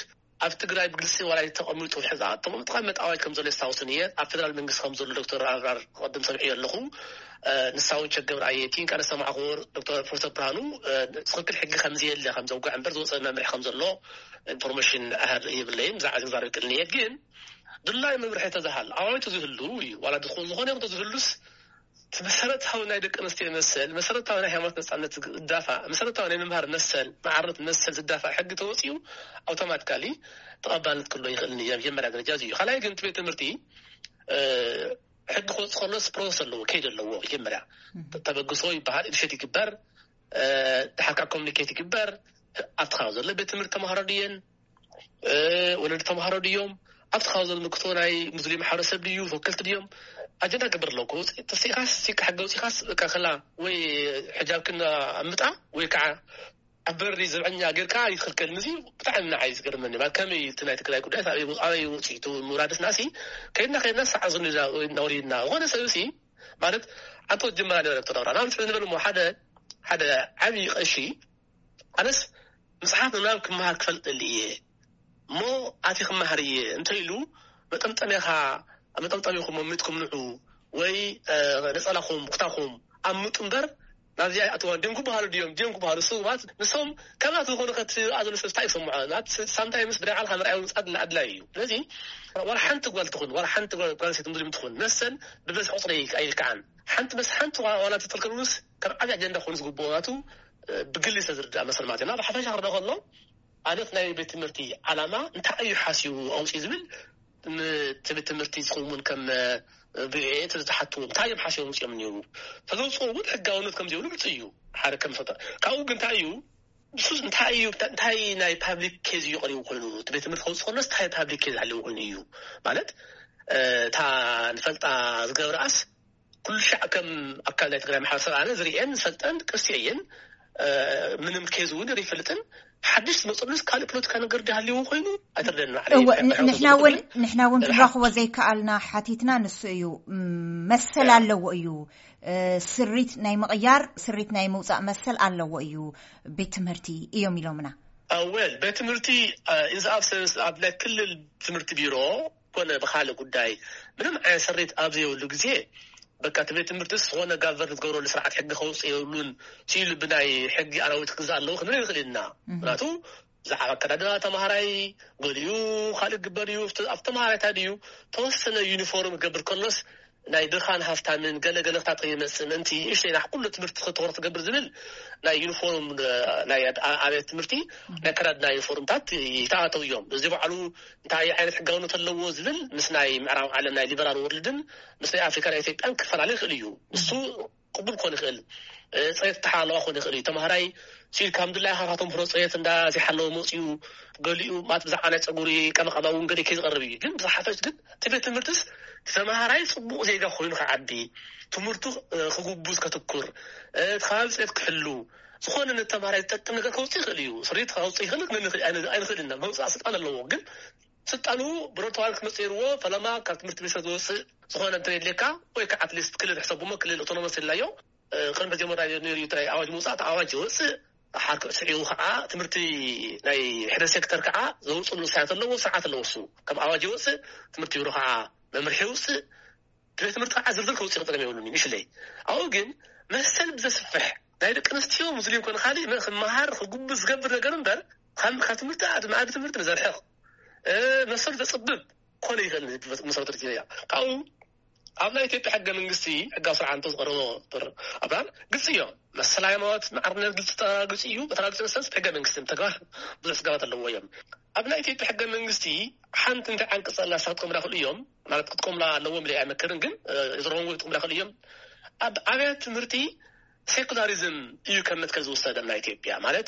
ኣብ ትግራይ ብግልፂ ዋላ ተቐሚጡ ሕዚ ተቐምጥ ኣዋጅ ከም ዘሎ የስታውስን እየ ኣብ ፌደራል መንግስቲ ከም ዘሎ ዶክተር ኣብራር ክቐድም ሰምዒ ኣለኹ ንሳ እውን ቸገብር ኣየቲ እንካ ነሰማዕክዎ ዶክተር ፕሮፌሰር ብርሃኑ ትኽክል ሕጊ ከም ዘየለ ከም ዘውግዕ እምበር ዝወፀ መምርሒ ከም ዘሎ ኢንፎርሜሽን ኣህር የብለይን ብዛዕባ ዝግዛር ይክእል እየ ግን ድላይ መምርሒ ተዝሃል ኣዋጅ ተዝህሉ እዩ ዋላ ዝኾነ ይኹን ተዝህሉስ እቲ መሰረታዊ ናይ ደቂ ኣንስትዮ መሰል፣ መሰረታዊ ናይ ሃይማኖት ነጻነት ዝዳፋእ፣ መሰረታዊ ናይ ምምሃር መሰል፣ ማዕርነት መሰል ዝዳፋእ ሕጊ ተወጺኡ፣ ኣውቶማቲካሊ ተቐባልነት ክህልዎ ይኽእል እዩ። መጀመርያ ደረጃ እዚ እዩ። ካልኣይ ግን እቲ ቤት ትምህርቲ፣ እ፣ ሕጊ ክወጽእ ከሎስ ፕሮሰስ ኣለዎ፣ ከይዲ ኣለዎ። መጀመርያ ተበግሶ ይበሃል፣ ኢኒሼት ይግበር፣ እ፣ ድሓር ከዓ ኮሚኒኬት ይግበር። ኣብቲ ከባቢ ዘሎ ቤት ትምህርቲ ተምሃሮ ድየን፣ እ፣ ወለዲ ተምሃሮ ድዮም፣ ኣብቲ ከባቢ ዘሎ ምክቶ ናይ ሙስሊም ማሕበረሰብ ድዩ፣ ተወከልቲ ድዮም፣ ኣጀንዳ ክገብር ኣለዎ። ክወጽእ ተሲእካስ፣ ሲካ ሕጊ ኣውጺእካስ፣ በቃ፣ ከላ ወይ ሕጃብክን ኣምጣ ወይ ከዓ ኣብ በሪ ዘብዐኛ ጌርካ ይትኽልከል። እዚ ብጣዕሚ ንዓይ ዝገርመኒ። ማለት፣ ከመይ እቲ ናይ ትግራይ ጉዳይ ኣበይ፣ ኣበይ ውፅኢቱ ምውራድስ ናሲ ከይድና፣ ከይድና፣ ሰዓት ዝንዛ እናወሪድና። ዝኾነ ሰብ ሲ፣ ማለት፣ ኣንተ ወጀመራ ነበረ ተዳውራ። ንኣብነት ንበል እሞ ሓደ፣ ሓደ ዓብዪ ቀሺ፣ ኣነስ መጽሓፍ ምንባብ ክመሃር ክፈልጥ ደሊ እየ እሞ፣ ኣቲ ክመሃር እየ እንተ ኢሉ፣ መጠምጠሚያኻ፣ መጠምጠሚኹም መሚጥኩም ንዑ፣ ወይ፣ እ፣ ነጸላኹም፣ ኩታኹም ኣምጡ እምበር፣ ናብዚኣ ይኣትዋ። ድዮም ክበሃሉ ድዮም፣ ድዮም ክበሃሉ፣ እሱ ማለት ንሶም ከምኣት ዝኾኑ ከትኣ ዘሎ ሰብ እንታይ ይሰምዖ? ናት ሳምታይምስ ብናይ ባዕልኻ ምርኣይ ምምጻእ ኣድላዪ እዩ። ስለዚ ዋላ ሓንቲ ጓል ትኹን፣ ዋላ ሓንቲ ጓል፣ ጓል ኣንስተይቲ ሙስሊም ትኹን፣ መሰል ብበዝሒ ቁጽሪ ኣይልክዓን። ሓንቲ መስ-፣ ሓንቲ ዋ-፣ ዋላ እንተተልከሉስ ከም ዓብዪ ኣጀንዳ ኮይኑ ዝግብኦ ናቱ፣ እ፣ ብግሊ ዝተዝርድኣ መሰል ማለት እዩ። እና ብሓፈሻ ክርዳ ከሎ፣ ኣነት ናይ ቤት ትምህርቲ ዓላማ እንታይ እዩ ሓሲቡ ኣውፅኡ ዝብል፣ ን-፣ እቲ ቤት ትምህርቲ ዝኸውን ከም፣ እ፣ ብኤ እቲ ዝሓትዎ እንታይ እዮም ሓሲቦም ውፅኦም እኒዉ? ተዘውፅኦ እውን ሕጋውነት ከም ዘይብሉ ግልፂ እዩ። ሓደ ከም ፈተ-፣ ካብኡ ግን እንታይ እዩ፣ ንሱ እንታይ እዩ፣ እንታይ ናይ ፓብሊክ ኬዝ እዩ ቀሪቡ ኮይኑ? እቲ ቤት ትምህርቲ ከውፅእ ከሎስ እንታይ ፓብሊክ ኬዝ ሃልዩ ኮይኑ እዩ? ማለት፣ እ፣ እታ ንፈልጣ ዝገብርኣስ ኩሉ ሻዕ ከም ኣካል ናይ ትግራይ ማሕበረሰብ ኣነ ዝርእየን ዝፈልጠን ቅርሲ እየን። እ፣ ምንም ኬዝ እውን ይፈልጥን። ሓድሽ ዝመፅሉስ ካልእ ፖለቲካ ነገር ድሃልዎ ኮይኑ ኣይተርደን። እወ፣ ን-፣ ንሕና እውን፣ ንሕና እውን ክንረኽቦ ዘይከኣልና ሓቲትና ንሱ እዩ። ም-፣ መሰል ኣለዎ እዩ። እ፣ ስሪት ናይ ምቕያር፣ ስሪት ናይ ምውፃእ መሰል ኣለዎ እዩ ቤት ትምህርቲ እዮም ኢሎምና። እ፣ ወል፣ ቤት ትምህርቲ፣ እ፣ ኢንዝ ኣብሰንስ ኣብ ናይ ክልል ትምህርቲ ቢሮ ኮነ ብኻልእ ጉዳይ ምንም ዓይነት ስሪት ኣብ ዘይብሉ ግዜ፣ በቃ እቲ ቤት ትምህርትስ ዝኾነ ጋቨርን ዝገብረሉ ስርዓት ሕጊ ከውፅእ የብሉን፣ ሲሉ ብናይ ሕጊ ኣራዊት ክግዛእ ኣለዎ ክንብል ንኽእል ኢና። ምክንያቱ ብዛዕባ ኣከዳድና ተምሃራይ፣ ገሊኡ ካልእ ግበር እዩ። ኣብቲ፣ ኣብቲ ተምሃራይ እንታይ ድዩ፣ ተወሰነ ዩኒፎርም ክገብር ከሎስ ናይ ድኻን ሃፍታምን ገለ ገለ ክታጥር ይመጽእ ምእንቲ እሽተይ ናይ ኩሉ ትምህርቲ ክትወር ትገብር ዝብል ናይ ዩኒፎርም፣ እ፣ ናይ ኣብ-፣ ኣብያተ ትምህርቲ ናይ ኣከዳድና ዩኒፎርምታት ይተኣተው እዮም። እዚ ባዕሉ እንታይ ዓይነት ሕጋውነት ኣለዎ ዝብል ምስ ናይ ምዕራብ ዓለም ናይ ሊበራል ወርልድን ምስ ናይ ኣፍሪካ ናይ ኢትዮጵያን ክፈላለ ይኽእል እዩ። እሱ ቅቡል ክኾን ይኽእል፣ እ፣ ፅሬት ተሓለዋ ክኾን ይኽእል እዩ። ተምሃራይ ሲል ከም ድላይ ሃራ ተምሮ ፅሬት እንዳ ዘይሓለወ መፅኡ፣ ገሊኡ ማለት ብዛዕባ ናይ ፀጉሪ ቀመቀማ እውን ገሊኡ ከይዝቐርብ እዩ። ግን ብዝሓፈሽ ግን እቲ ቤት ትምህርትስ እቲ ተምሃራይ ፅቡቕ ዜጋ ኮይኑ ክዓቢ፣ ትምህርቱ፣ እ፣ ክጉብዝ ከትኩር፣ እ፣ እቲ ከባቢ ፅሬት ክሕሉ፣ ዝኾነ ነተምሃራይ ዝጠቅም ነገር ከውፅእ ይኽእል እዩ። ስሪት ከውፅእ ይኽእል ግን ኣይንኽእል ኢና። መውፃእ ስልጣን ኣለዎ። ግን ስልጣኑ ብሮተዋል ክመፅእ ይርዎ። ፈለማ ካብ ትምህርቲ ሚኒስተር ዝወፅእ ዝኾነ እንተ የድልየካ ወይ ከዓ ኣትሊስት ክልል ሕሰቡ እሞ ክልል ኣውቶኖመስ ኢልናዮ። እ፣ ቅድሚ መጀመርያ ነይሩ እዩ፣ እንታይ ኣዋጅ ምውፃእ፣ ኣዋጅ ይወፅእ። ሓር ስዒቡ ከዓ ትምህርቲ ናይ ሕደ ሴክተር ከዓ ዘውፅሉ ውሳያት ኣለዎ፣ ስርዓት ኣለዎ። እሱ ከም ኣዋጅ ይወፅእ፣ ትምህርቲ ቢሮ ከዓ መምርሒ ይውፅእ። ቤት ትምህርቲ ከዓ ዝርዝር ከውፅእ ክጠቀም የብሉን እዩ፣ ምሽለይ። ኣብኡ ግን መሰል ብዘስፍሕ ናይ ደቂ ኣንስትዮ ሙስሊም ኮነ ካልእ መ-፣ ክመሃር ክጉብዝ ዝገብር ነገር እምበር፣ ካብ፣ ካብ ትምህርቲ፣ ካብ መኣዲ ትምህርቲ ንዘርሕቕ፣ እ፣ መሰል ዘፅብብ ኮነ ይኽእል መሰረተ ርክብ እያ። ካብኡ ኣብ ናይ ኢትዮጵያ ሕገ መንግስቲ ሕጋዊ ስርዓት እንተ ዝቐረቦ ዶክተር ኣብርሃም ግልፂ እዮም። መሰል ሃይማኖት፣ ማዕርነት ግልፂ፣ ግልፂ እዩ። በተራ ግልፂ መሰረት ሕገ መንግስቲ ተግባር ብዙሕ ስጋባት ኣለዎ እዮም። ኣብ ናይ ኢትዮጵያ ሕገ መንግስቲ ሓንቲ እንታይ ዓንቀፅ ኣላ ንሳ ክትጥቀሙላ ይኽእሉ እዮም፣ ማለት ክትጥቀሙላ ኣለዎም ኢለ ኣይመክርን፣ ግን፣ እ፣ ዝረኸብዎ ክትጥቀሙላ ይኽእሉ እዮም። ኣብ ኣብያተ ትምህርቲ ሴኩላሪዝም እዩ ከም መትከል ዝወሰደ ናይ ኢትዮጵያ፣ ማለት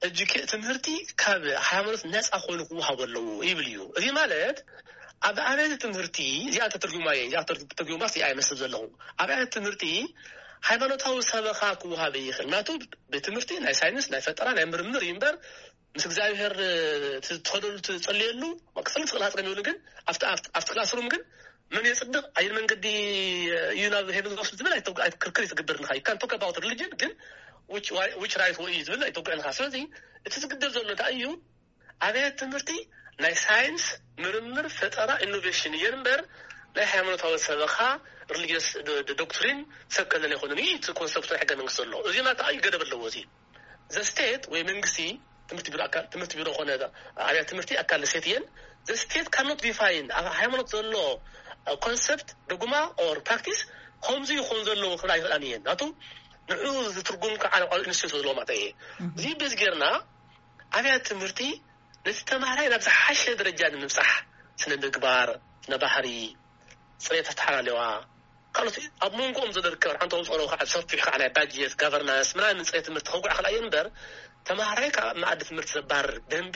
እጅ ትምህርቲ ካብ ሃይማኖት ነፃ ኮይኑ ክወሃብ ኣለዎ ይብል እዩ። እዚ ማለት ኣብ ኣብያተ ትምህርቲ፣ እዚኣ ተተርጉማ እየ፣ እዚኣ ተር-፣ ተርጉማስ እየ ኣይመስል ዘለኹ። ኣብ ኣብያተ ትምህርቲ ሃይማኖታዊ ሰበኻ ክወሃብ ይኽእል። ናቱ ቤት ትምህርቲ ናይ ሳይንስ፣ ናይ ፈጠራ፣ ናይ ምርምር እዩ እምበር ምስ እግዚኣብሔር፣ እ፣ ት-፣ ትኸደሉ ትጸልየሉ ክጸሊ ትኽእል ሃፀ ግን፣ ኣብቲ፣ ኣብቲ፣ ኣብቲ ክላስሩም ግን መን የጽድቕ፣ ኣየን መንገዲ እዩ ናብ ሄቨን ዝወስድ ዝብል ኣይተውግ-፣ ኣይ-፣ ክርክር ይትግበር ንኻ። You can talk about religion፣ ግን which፣ why፣ which right way እዩ ዝብል ኣይተውግዕን ኢኻ። ስለዚ እቲ ዝግደብ ዘሎ እንታይ እዩ? ኣብያተ ትምህርቲ ናይ ሳይንስ፣ ምርምር፣ ፈጠራ፣ ኢኖቬሽን እየን እምበር ናይ ሃይማኖታዊ ሰበኻ፣ ሪሊጅስ ዶ-፣ ዶ-፣ ዶክትሪን ሰብ ከለለ ኣይኮነን። እዩ እቲ ኮንሰፕት ናይ ሕገ መንግስቲ ዘሎ። እዚ ናታ እዩ ገደብ ኣለዎ። እዚ ዘ ስቴት ወይ መንግስቲ፣ ትምህርቲ ቢሮ ኣካል፣ ትምህርቲ ቢሮ ኮነ ኣብያተ ትምህርቲ ኣካል ስቴት እየን። ዘ ስቴት ካኖት ዲፋይን ኣብ ሃይማኖት ዘሎ ኮንሰፕት፣ ዶግማ ኦር ፕራክቲስ ከምዚ ይኾን ዘለዎ ክብል ኣይኽእላን እየን። ናቱ ንዑ ዝትርጉም ከዓ ንቃል ኢንስቲትዩት ዘለዎ ማለት እየ። እዚ በዚ ጌርና ኣብያት ትምህርቲ ነቲ ተማሃራይ ናብ ዝሓሸ ደረጃ ንምብፃሕ፣ ስነ ምግባር፣ ስነ ባህሪ፣ ፅሬት ኣተሓላለዋ፣ ካልኦት ኣብ መንጎኦም ዘሎ ርከብ ሓንቲ ከምፅኦ ከዓ ሰፊሕ ከዓ ናይ ባጀት ጋቨርናንስ ምናምን ፅሬት ትምህርቲ ከጉዕ ክልኣየ እምበር፣ ተማሃራይ ካብ መኣዲ ትምህርቲ ዘባርር ደንቢ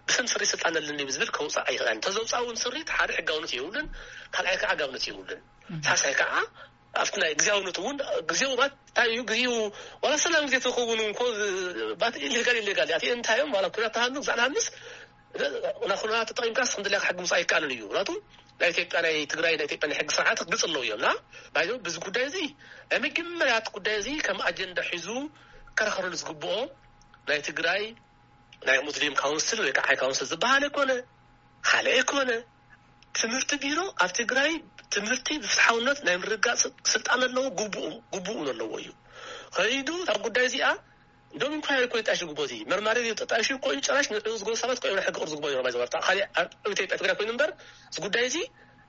ብስም ስሪ ስልጣን ኣለኒ ብዝብል ከውፃእ ኣይኽእላን። እንተዘውፃእ እውን ስሪት ሓደ ሕጋውነት የብሉን፣ ካልኣይ ከዓ ኣጋብነት የብሉን። ሳልሳይ ከዓ ኣብቲ ናይ ግዜያውነት እውን ግዜው ባት እንታይ እዩ ግዜኡ ዋላ ሰላም ግዜ ተኸውን እንኮ ባት ኢሌጋል ኢሌጋል ኣቲ እንታይ እዮም ዋላ ኩናት ተሃሉ ግዛዕ ንሃንስ ናኹና ተጠቂምካ ስክንድልያ ክሕግምስ ኣይከኣልን እዩ። ናቱ ናይ ኢትዮጵያ ናይ ትግራይ ናይ ኢትዮጵያ ናይ ሕጊ ስርዓት ግልፅ ኣለዉ እዮም። ና ባይዞ ብዚ ጉዳይ እዚ ናይ መጀመርያት ጉዳይ እዚ ከም ኣጀንዳ ሒዙ ከራኸረሉ ዝግብኦ ናይ ትግራይ ናይ ሙስሊም ካውንስል ወይ ከዓ ሃይ ካውንስል ዝበሃል ኣይኮነ፣ ካልእ ኣይኮነ። ትምህርቲ ቢሮ ኣብ ትግራይ ትምህርቲ ብፍትሓውነት ናይ ምርጋፅ ስልጣን ኣለዎ፣ ግቡኡ ግቡኡ ኣለዎ እዩ። ከይዱ ኣብ ጉዳይ እዚኣ እንደውም እንኳ ይኮ ይጣሽ ግቦ እዚ መርማሪ እዩ። ተጣሽ እኮ እዩ ጨራሽ ንዕኡ ዝገቡ ሰባት እኮ እዮም ናይ ሕጊ ቅርዚ ግቦ እዮም። ባይዘ ወርታ ካልእ ኣብ ኢትዮጵያ ትግራይ ኮይኑ እምበር እዚ ጉዳይ እዚ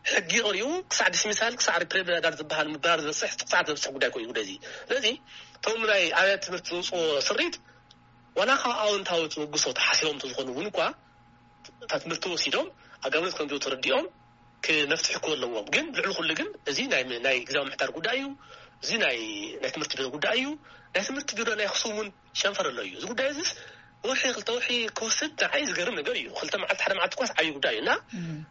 ሕጊ ቀሪቡ ክሳዕ ዲስሚሳል ክሳዕ ሪፕሬዳር ዝበሃል ምባር ዝበፅሕ ጥቕፃት ዘብፅሕ ጉዳይ እኮ እዩ ጉዳይ እዚ። ስለዚ እቶም ናይ ኣብያት ትምህርቲ ዝውፅዎ ስሪት ዋላ ካብ ኣውንታዊ ትውግሶ ተሓሲቦም እንተዝኾኑ እውን እኳ እታ ትምህርቲ ወሲዶም ኣጋብነት ከም ተረዲኦም ክመፍትሒ ክህልዎ ኣለዎም። ግን ልዕሊ ኩሉ ግን እዚ ናይ ናይ ግዛዊ ምሕዳር ጉዳይ እዩ። እዚ ናይ ናይ ትምህርቲ ቢሮ ጉዳይ እዩ። ናይ ትምህርቲ ቢሮ ናይ ኣክሱም እውን ሸንፈር ኣሎ እዩ። እዚ ጉዳይ እዚስ ወርሒ ክልተ ወርሒ ክወስድ ንዓይ ዝገርም ነገር እዩ። ክልተ መዓልቲ ሓደ መዓልቲ ኳስ ዓብዪ ጉዳይ እዩ እና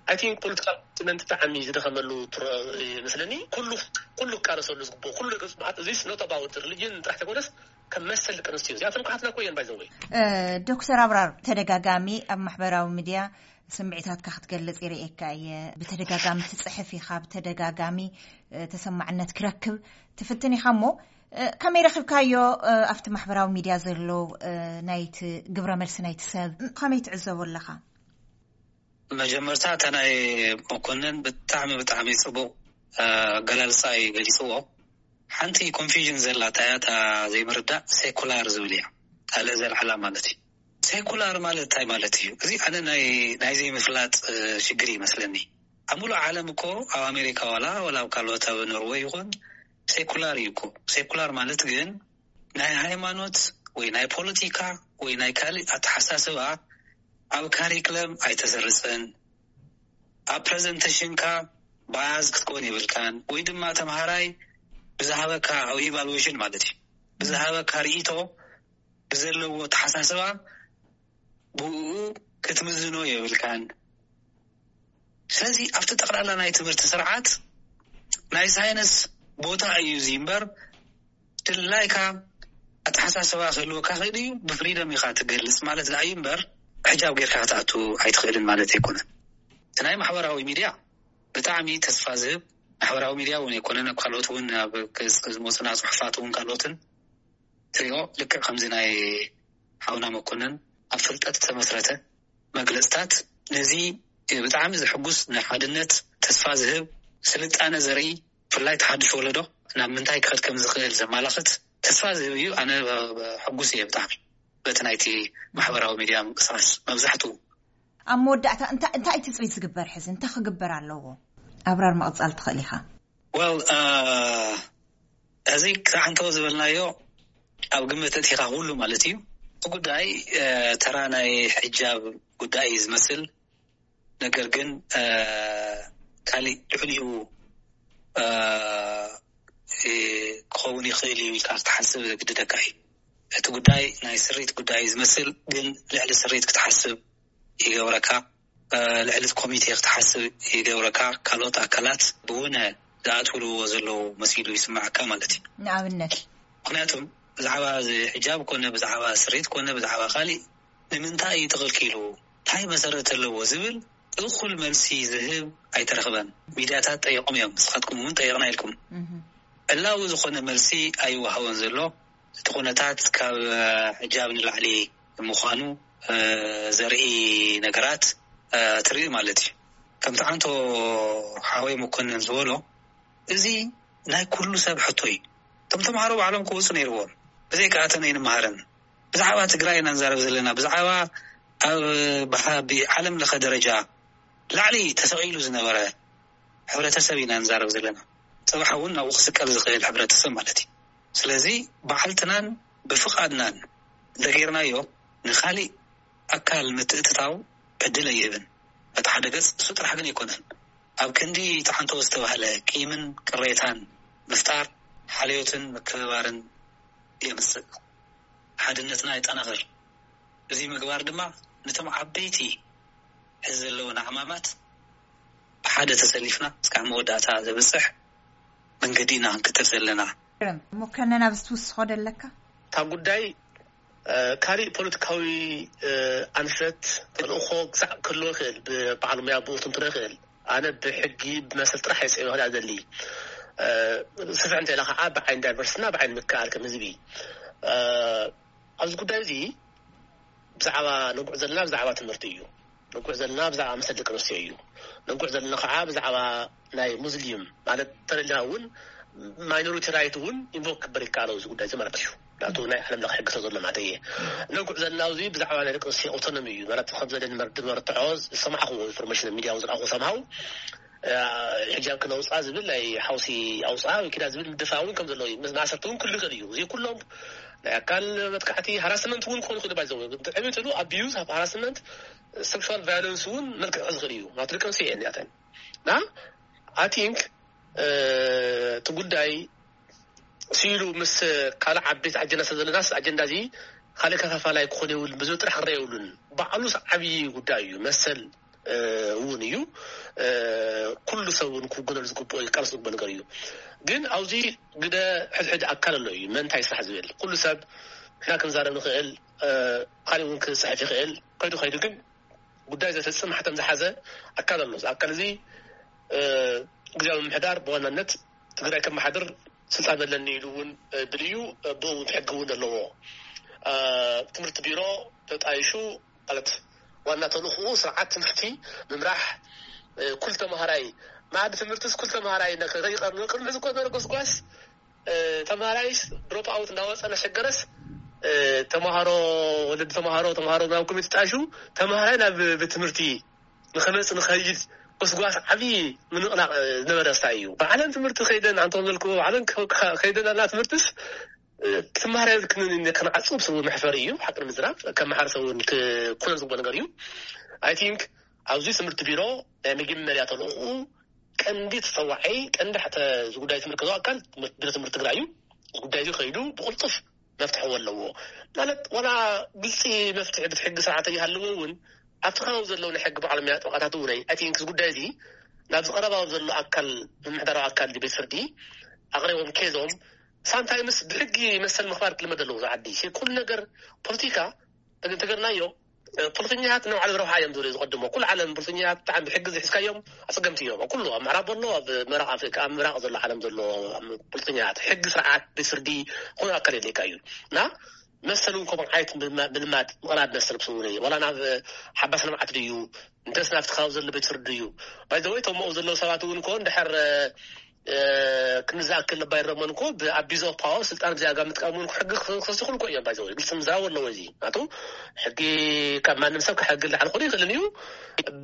ኣይ ቲንክ ፖለቲካል ኮሚትመንት ብጣዕሚ ዝደኸመሉ ትሮ- ይመስለኒ። ኩሉ ኩሉ ክቃለሰሉ ዝግብኦ ኩሉ ገፁ መዓት እዚስ ኖት ኣባውት ሪሊጅን ጥራሕ ተኮነስ ከም መሰል ደቂ ኣንስትዮ እዚኣቶም ክሓትና እኮ እየን ባይዘወይ። ዶክተር ኣብራር፣ ተደጋጋሚ ኣብ ማሕበራዊ ሚድያ ስምዒታትካ ክትገልጽ ይርእየካ እየ። ብተደጋጋሚ ትጽሕፍ ኢኻ፣ ብተደጋጋሚ እ፣ ተሰማዕነት ክረክብ ትፍትን ኢኻ እሞ እ፣ ከመይ ረኺብካዮ? እ፣ ኣብቲ ማሕበራዊ ሚድያ ዘሎ እ፣ ናይቲ ግብረ መልሲ ናይቲ ሰብ እ፣ ከመይ ትዕዘቦ ኣለኻ? መጀመርታ እታ ናይ መኮንን ብጣዕሚ ብጣዕሚ ጽቡቕ ኣገላልጻ እዩ ገሊጽዎ። ሓንቲ ኮንፊዥን ዘላ እታ እያ፣ እታ ዘይምርዳእ ሴኩላር ዝብል እያ። ካልእ ዘልዓላ ማለት እዩ። ሴኩላር ማለት እንታይ ማለት እዩ? እዚ ኣነ ናይ ናይ ዘይምፍላጥ ሽግር ይመስለኒ። ኣብ ሙሉእ ዓለም እኮ ኣብ ኣሜሪካ ዋላ ዋላ ኣብ ካልኦት ኣብ ኖርወይ ይኹን ሴኩላር እዩ እኮ። ሴኩላር ማለት ግን ናይ ሃይማኖት ወይ ናይ ፖለቲካ ወይ ናይ ካልእ ኣተሓሳስባ ኣብ ካሪክለም ኣይተሰርፅን፣ ኣብ ፕረዘንቴሽንካ ባያዝ ክትኮን የብልካን፣ ወይ ድማ ተምሃራይ ብዝሃበካ ኣብ ኢቫሉዌሽን ማለት እዩ ብዝሃበካ ርእይቶ ብዘለዎ ኣተሓሳስባ ብኡ ክትምዝኖ የብልካን። ስለዚ ኣብቲ ጠቕላላ ናይ ትምህርቲ ስርዓት ናይ ሳይንስ ቦታ እዩ እዚ እምበር ድላይካ ኣተሓሳስባ ክህልወካ ክእል እዩ። ብፍሪደም ኢካ ትገልፅ ማለት ዳኣ እዩ እምበር ሕጃብ ጌርካ ክትኣቱ ኣይትኽእልን ማለት ኣይኮነን። እቲ ናይ ማሕበራዊ ሚድያ ብጣዕሚ ተስፋ ዝህብ ማሕበራዊ ሚድያ እውን ኣይኮነን። ኣብ ካልኦት እውን ኣብ ገፅ ዝመፁና ፅሑፋት እውን ካልኦትን ትሪኦ ልክዕ ከምዚ ናይ ሓውና መኮንን ኣብ ፍልጠት ዝተመስረተ መግለፅታት ነዚ ብጣዕሚ ዘሕጉስ ናይ ሓድነት ተስፋ ዝህብ ስልጣነ ዘርኢ ብፍላይ ተሓድሽ ወለዶ ናብ ምንታይ ክኸድ ከም ዝኽእል ዘማላኽት ተስፋ ዝህብ እዩ። ኣነ ሕጉስ እየ ብጣዕሚ በቲ ናይቲ ማሕበራዊ ሚድያ ምንቅስቃስ መብዛሕትኡ። ኣብ መወዳእታ እንታይ ትፅቢት ዝግበር ሕዚ እንታይ ክግበር ኣለዎ? ኣብራር መቕፃል ትኽእል ኢኻ። Well ሕዚ ክሳዕ እንተወ ዝበልናዮ ኣብ ግምት እቲኻ ኩሉ ማለት እዩ። እቲ ጉዳይ ተራ ናይ ሕጃብ ጉዳይ እዩ ዝመስል። ነገር ግን ካሊእ ልዕሊኡ ክኸውን ይኽእል እዩ ኢልካ ክትሓስብ ዘግድደካ እዩ። እቲ ጉዳይ ናይ ስሪት ጉዳይ እዩ ዝመስል፣ ግን ልዕሊ ስሪት ክትሓስብ ይገብረካ። ልዕሊ እቲ ኮሚቴ ክትሓስብ ይገብረካ። ካልኦት ኣካላት ብውነ ዝኣትውልዎ ዘለዉ መሲሉ ይስምዓካ ማለት እዩ። ንኣብነት ምክንያቱም ብዛዕባ እዚ ሕጃብ ኮነ ብዛዕባ ስሪት ኮነ ብዛዕባ ካሊእ ንምንታይ እዩ ተኸልኪሉ እንታይ መሰረት ኣለዎ ዝብል እኹል መልሲ ዝህብ ኣይተረኽበን። ሚድያታት ጠይቆም እዮም፣ ንስኻትኩም እውን ጠይቕና ኢልኩም። ዕላዊ ዝኾነ መልሲ ኣይወሃቦን ዘሎ። እቲ ኩነታት ካብ ሕጃብ ንላዕሊ ምዃኑ ዘርኢ ነገራት ትርኢ ማለት እዩ። ከምቲ ዓንቶ ሓወይ መኮንን ዝበሎ እዚ ናይ ኩሉ ሰብ ሕቶ እዩ። እቶም ተምሃሮ ባዕሎም ክወፁ ነይርዎም። ብዘይካ ኣተን ኣይንመሃርን። ብዛዕባ ትግራይ ኢና ንዛረብ ዘለና። ብዛዕባ ኣብ ብዓለም ለኸ ደረጃ ላዕሊ ተሰቒሉ ዝነበረ ሕብረተሰብ ኢና ንዛረብ ዘለና። ጽባሕ እውን ናብኡ ክስቀል ዝኽእል ሕብረተሰብ ማለት እዩ። ስለዚ ብዓልትናን ብፍቓድናን እንተገይርናዮ ንኻሊእ ኣካል ምትእትታው ዕድል ኣይህብን። በቲ ሓደ ገጽ እሱ ጥራሕ ግን ኣይኮነን። ኣብ ክንዲ ተሓንቶ ዝተባህለ ቂምን ቅሬታን ምፍጣር ሓልዮትን ምክብባርን የምጽእ፣ ሓድነትና የጠናኽር። እዚ ምግባር ድማ ነቶም ዓበይቲ ሕዚ ዘለውና ዕማማት ብሓደ ተሰሊፍና እስካብ መወዳእታ ዘብጽሕ መንገዲ ኢና ክንክተል ዘለና። እሞ ከነ ናብ ዝትውስኾ ደለካ? እታ ጉዳይ ካሊእ ፖለቲካዊ ኣንፈት ተልእኾ ክሳዕ ክህልዎ ይኽእል፣ ብበዓል ሙያ ብኡ ትንትኖ ይኽእል። ኣነ ብሕጊ ብመሰል ጥራሕ እየ ፅዒ ክዳ ዘሊ። ስፍሕ እንተ ኢላ ከዓ ብዓይን ዳይቨርስና ብዓይን ምክኣል ከም ህዝቢ ኣብዚ ጉዳይ እዚ ብዛዕባ ንጉዕ ዘለና ብዛዕባ ትምህርቲ እዩ። ንጉዕ ዘለና ብዛዕባ መሰል ደቂ ኣንስትዮ እዩ። ንጉዕ ዘለና ከዓ ብዛዕባ ናይ ሙስሊም ማለት ተለና እውን ማይኖሪቲ ራይት እውን ኢንቮክ ክበር ይከኣል ኣብዚ ጉዳይ እዚ ማለት እዩ። ናቱ ናይ ዓለም ለኸ ሕግቶ ዘሎ ማለት እየ። ነጉዕ ዘለና እዚ ብዛዕባ ናይ ደቂ ኣንስትዮ ኣውቶኖሚ እዩ ማለት ከም ዘለን መርትዖ ዝሰማዕኹ ኢንፎርሜሽን ሚዲያ እውን ዝረኣኹ ሰምሃው ሕጃብ ክነውፃ ዝብል ናይ ሓውሲ ኣውፃ ወይ ኪዳ ዝብል ምድፋ እውን ከም ዘሎ እዩ። ማእሰርቲ እውን ክልክል እዩ። እዚ ኩሎም ናይ ኣካል መጥቃዕቲ ሃራስመንት እውን ክኾኑ ክእል ባይዘው ዕብትሉ ኣቢዩዝ ሃራስመንት ሴክሹዋል ቫዮለንስ እውን መልክዕ ዝኽእል እዩ። ናቱ ደቂ ኣንስትዮ እየን ያተን እና ኣቲንክ እቲ ጉዳይ ስኢሉ ምስ ካልእ ዓበይቲ ኣጀንዳ ስለ ዘለናስ ኣጀንዳ እዚ ካልእ ከፋፋላይ ክኾን የብሉን። ብዝብል ጥራሕ ክረአ የብሉን። ባዕሉስ ዓብዪ ጉዳይ እዩ። መሰል እውን እዩ። ኩሉ ሰብ እውን ክውገነሉ ዝግብኦ እዩ፣ ክቃለስ ዝግብኦ ነገር እዩ። ግን ኣብዚ ግደ ሕድሕድ ኣካል ኣሎ እዩ። መን እንታይ ስራሕ ዝብል ኩሉ ሰብ ንሕና ክንዛረብ ንኽእል፣ ካልእ እውን ክፅሕፍ ይኽእል። ከይዱ ከይዱ ግን ጉዳይ ዘፈፅም ማሕተም ዝሓዘ ኣካል ኣሎ። እዚ ኣካል እዚ ግዝያዊ ምምሕዳር ብዋናነት ትግራይ ከመሓድር ስልጣን ኣለኒ ኢሉ እውን ብል እዩ። ብኡ እውን ሕጊ እውን ኣለዎ። ትምህርቲ ቢሮ ተጣይሹ ማለት ዋና ተልእኽኡ ስርዓት ትምህርቲ ምምራሕ። ኩል ተምሃራይ መኣዲ ትምህርትስ ኩል ተምሃራይ ከይቀርብ ቅድሚ ሕዚ እኮ ነበረ ጎስጓስ ተምሃራይስ ድሮፕ ኣውት እንዳወፀ እናሸገረስ ተምሃሮ ወለዲ ተምሃሮ ተምሃሮ ናብ ኮሚቴ ተጣይሹ ተምሃራይ ናብ ቤት ትምህርቲ ንኸመፅ ንኸይድ ጎስጓስ ዓብዪ ምንቕናቕ ዝነበረ ስታይ እዩ። ብዓለም ትምህርቲ ከይደን ኣንቶም ዘልክዎ ብዓለም ከይደን ኣላ ትምህርትስ ትምሃር የብልክንን ኢለ ከነዓጽው ብስሩ መሕፈሪ እዩ። ሓቂ ንምዝራብ ከም ማሕበረሰብ እውን ክኮነ ዝግብኦ ነገር እዩ። ኣይ ቲንክ ኣብዚ ትምህርቲ ቢሮ ናይ መጀመርያ ተልእኽኡ ቀንዲ ተፀዋዓይ ቀንዲ ሕተ እዚ ጉዳይ ዝምልከቶ ኣካል ቢሮ ትምህርቲ ትግራይ እዩ። እዚ ጉዳይ እዚ ከይዱ ብቕልጡፍ መፍትሒ ኣለዎ ማለት ዋላ ግልፂ መፍትሒ ብቲ ሕጊ ስርዓት ይሃለዎ እውን ኣብቲ ከባቢ ዘለዉ ናይ ሕጊ ባዕሎም እያ ጠበቃታት እውን ኣይ ቲንክ እዚ ጉዳይ እዚ ናብዚ ቀረባ ዘሎ ኣካል ምምሕዳራዊ ኣካል ቤት ፍርዲ ኣቅሪቦም ኬዞም ሳምታይምስ ብሕጊ መሰል ምኽባር ክልመድ ኣለዎ። ዝዓዲ ኩሉ ነገር ፖለቲካ እንተገርናዮ ፖለቲከኛታት ንባዕሎም ረብሓ እዮም ዝብሉ ዝቐድሞ። ኩሉ ዓለም ፖለቲከኛታት ብጣዕሚ ብሕጊ ዝሒዝካዮም ኣፀገምቲ እዮም። ኣብ ኩሉ ኣብ ምዕራብ ኣሎ ኣብ ምዕራብ ኣፍሪካ ኣብ ምብራቅ ዘሎ ዓለም ዘሎ ፖለቲከኛታት ሕጊ ስርዓት ቤት ፍርዲ ኩሉ ኣካል የድልየካ እዩ እና መሰል እውን ከምኡ ዓይነት ምልማድ ምቕራብ መሰል ክስውር እዩ። ዋላ ናብ ሓባስ ልምዓት ድዩ እንተስ ናብቲ ከባቢ ዘሎ ቤት ፍርዲ ድዩ ባይዘወይ እቶም ኣብኡ ዘለዉ ሰባት እውን እኮ እንድሕር ክንዝኣክል ባይረሞን እኮ ብኣቢዝ ኦፍ ፓወር ስልጣን ብዚኣጋ ምጥቃም እውን ሕጊ ክስኹል እኮ እዮም። ባይዘወይ ግልፂ ምዝራብ ኣለዎ። እዚ ናቱ ሕጊ ካብ ማንም ሰብ ካብ ሕጊ ላዕሊ ክኾን ይኽእልን እዩ።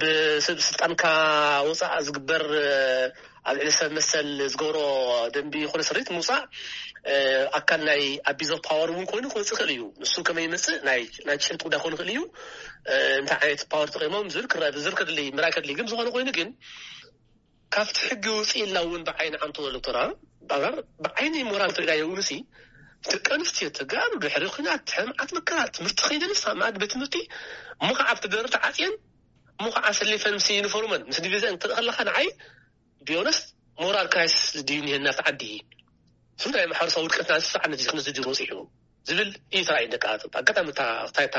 ብስብ ስልጣንካ ወፃእ ዝግበር ኣብ ልዕሊ ሰብ መሰል ዝገብሮ ደንቢ ይኹን ስሪት ምውፃእ ኣካል ናይ ኣቢዝ ኦፍ ፓወር እውን ኮይኑ ክመፅእ ይኽእል እዩ። ንሱ ከመይ ይመፅእ ናይ ናይ ጭንጥ ጉዳይ ክኾን ይኽእል እዩ። እንታይ ዓይነት ፓወር ተጠቂሞም ዝብል ክረአ ዝብል ከድሊ ምራይ ከድሊ ግን ዝኾነ ኮይኑ ግን ካብቲ ሕጊ ውፅእ ኢልና እውን ብዓይኒ ዓንቶ ዘሎ ተራ ብዓይኒ ሞራል ተሪዳዮ እውን ሲ ደቂ ኣንስትዮ ተጋሩ ድሕሪ ኩናት ሕማዓት መከራ ትምህርቲ ከይደንስ ኣብ መኣዲ ቤት ትምህርቲ እሞ ከዓ ኣብቲ በሪ ተዓፅየን እሞ ከዓ ኣሰሊፈን ምስ ዩኒፎርመን ምስ ዲቪዘን ክትርኢ ከለካ ንዓይ ቢዮነስት ሞራል ክራይሲስ ድዩ እኒሀና ኣብቲ ዓዲ? እዚ ናይ ማሕበረሰብ ውድቀትና ዝስዓነ እዚ ክንዚ ድዩ መፂሑ ዝብል እዩ ተራእዩ። ደቂ ኣጋጣሚ እታ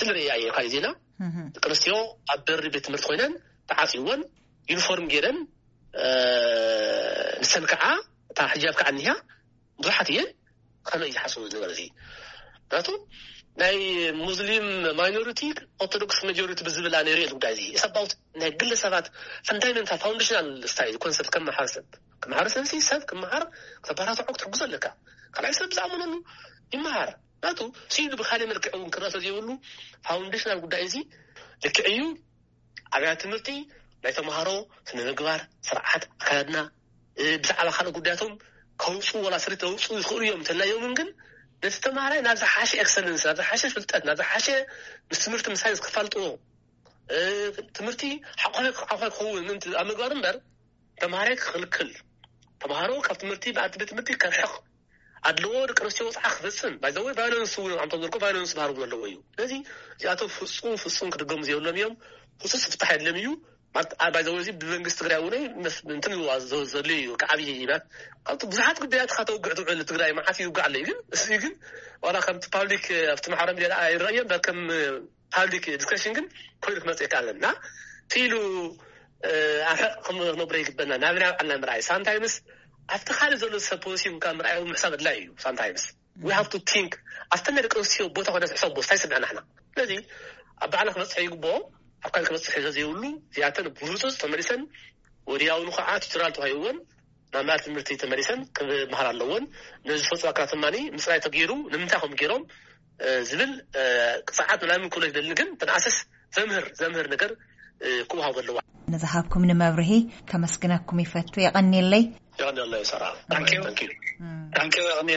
ስለ ርእያ እየ ካልእ ዜና ደቂ ኣንስትዮ ኣብ በሪ ቤት ትምህርቲ ኮይነን ተዓፂወን ዩኒፎርም ገይረን ንሰን ከዓ እታ ሕጃብ ከዓ እኒሃ ብዙሓት እየን ከመይ ዝሓስቡ ነገር እዚ ናቱ ናይ ሙስሊም ማይኖሪቲ ኦርቶዶክስ ማጆሪቲ ብዝብል ኣነ ሪኦ ጉዳይ እዚ ኢሳባውት ናይ ግለ ሰባት ፈንዳሜንታል ፋውንዴሽናል ስታይል ኮንሰፕት ከም ማሕበረሰብ ከም ማሕበረሰብ ሲ ሰብ ክመሃር ከተባራትዖ ክትሕግዞ ኣለካ። ካልኣይ ሰብ ዝኣምነሉ ይመሃር ናቱ ሲሉ ብካሊእ መልክዕ እውን ክረአ ዘይብሉ ፋውንዴሽናል ጉዳይ እዚ ልክዕ እዩ። ኣብያት ትምህርቲ ናይ ተምሃሮ ስነ ምግባር ስርዓት ኣካዳድና ብዛዕባ ካልእ ጉዳያቶም ከውፅኡ ዋላ ስሪት ከውፅኡ ይኽእሉ እዮም እንተልናዮምን ግን ነቲ ተምሃራይ ናብ ዝሓሸ ኤክሰለንስ ናብ ዝሓሸ ፍልጠት ናብ ዝሓሸ ምስ ትምህርቲ ምስ ሳይንስ ክፋልጥዎ ትምህርቲ ሓቋፋይ ክኸውን ኣብ ምግባር እምበር ተምሃራይ ክኽልክል ተምሃሮ ካብ ትምህርቲ ብኣቲ ቤት ትምህርቲ ከርሕቕ ኣድልዎ ደቂ ኣንስትዮ ወፅዓ ክፍፅም ባይዘወይ ቫዮለንስ እውን ኣምቶም ዘልኮ ቫዮለንስ ባህርቡ ዘለዎ እዩ ስለዚ እዚኣቶም ፍፁም ፍፁም ክድገሙ ዘይብሎም እዮም ፍፁስ ፍታሕ የድለም እዩ ባይዘወይ እዚ ብመንግስቲ ትግራይ እውን እንትን ዘሉ እዩ ከዓብይ ይባት ካብቲ ብዙሓት ጉዳያት ካተውግዕ ትውዕል ትግራይ መዓት ይውጋዕ ኣሎ ግን እዚ ግን ዋላ ከምቲ ፓብሊክ ኣብቲ ማሕበራዊ ሚዲያ ይረእዮ እምበር ከም ፓብሊክ ዲስከሽን ግን ኮይኑ ክመፅእ ይከኣለን እና እቲ ኢሉ ኣርሕቕ ክነብሮ ይግበና ናብ ናይ ባዕልና ምርኣይ ሳምታይምስ ኣብቲ ካልእ ዘሎ ሰብ ፖሊሲ ምካ ምርኣይ ምሕሳብ ኣድላይ እዩ ሳምታይምስ we have to think ኣብተን ናይ ደቂ ኣንስትዮ ቦታ ኮይና ዝሕሰብ ቦታ ይስምዐና ሕና ስለዚ ኣብ ባዕልና ክበፅሕ ይግብኦ ኣብ ካልእ ክበፅሕ ዘይብሉ እዚኣተን ብህፁፅ ተመሊሰን ወዲያውኑ ከዓ ቱቶሪያል ተዋሂብወን ናብ መኣዲ ትምህርቲ ተመሊሰን ክመሃራ ኣለወን። ነዚ ዝፈፅዋ ኣካላት ድማ ምፅራይ ተገይሩ ንምንታይ ከም ገይሮም ዝብል ፀዓት ምናምን ክብሎ ይደሊ ግን ተንኣስስ ዘምህር ዘምህር ነገር ክወሃቦ ኣለዋ። ንዝሃብኩም ንመብርሂ ከመስግነኩም ይፈቱ። የቐንየለይ። የቐንየለይ ሰራ። Thank you. Thank you.